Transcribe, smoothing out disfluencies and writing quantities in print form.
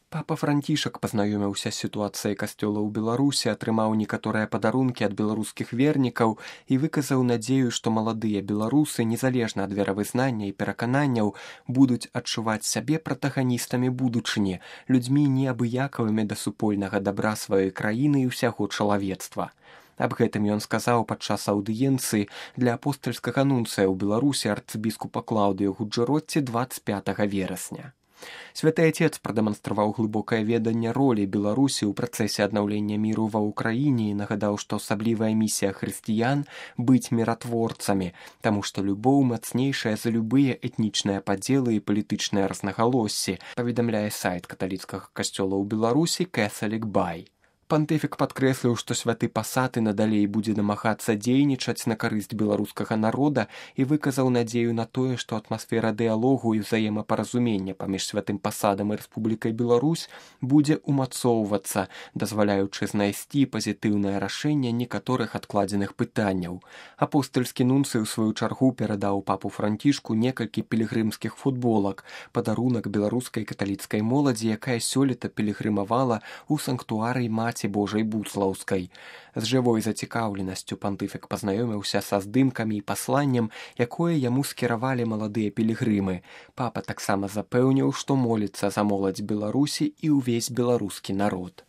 Папа Францішак пазнаёміўся з сітуацыяй касцёла ў Беларусі, атрымаў некаторыя падарункі ад беларускіх вернікаў і выказаў надзею, што маладыя беларусы, незалежна ад веравызнання і перакананняў, будуць адчуваць сябе пратаганістамі будучыні, людзьмі неабыякавымі да супольнага дабра сваёй краіны і ўсяго чалавецтва. Аб гэтым ён сказаў падчас аўдыенцыі для апостальскага нунцыя ў Беларусі арцыбіскупа Клаўдыю Гуджэротці 25 верасня. Святы Отец прадэманстраваў глыбокае веданне ролі Беларусі ў працэсе аднаўлення міру ва ўкраіне і нагадаў, што асаблівая місія хрысціян быць міратворцамі, таму што любоў мацнейшая за любыя этнічныя падзелы і палітычныя рознагалоссі, паведамляе сайт каталіцкага касцёла ў Беларусі Catholic By. Пантыфік падкрэсліў, што святы пасад і надалей будзе намагацца дзейнічаць на карысць беларускага народа і выказаў надзею на тое, што атмасфера дыялогу і ўзаемапаразумення паміж святым пасадам і Рэспублікай Беларусь будзе ўмацоўвацца, дазваляючы знайсці пазітыўнае рашэнне некаторых адкладзеных пытанняў. Апостальскі нунцый у сваю чаргу перадаў папу Францішку некалькі пілігрымскіх футболак, падарунак беларускай каталіцкай моладзі, якая сёлета пілігрымавала ў санктуарый Маці Божай Буслаўскай. З жывой зацікаўленасцю пантыфік пазнаёміўся са здымкамі і пасланнем, якое яму скіравалі маладыя пілігрымы. Папа таксама запэўніў, што моліцца за моладзь Беларусі і ўвесь беларускі народ.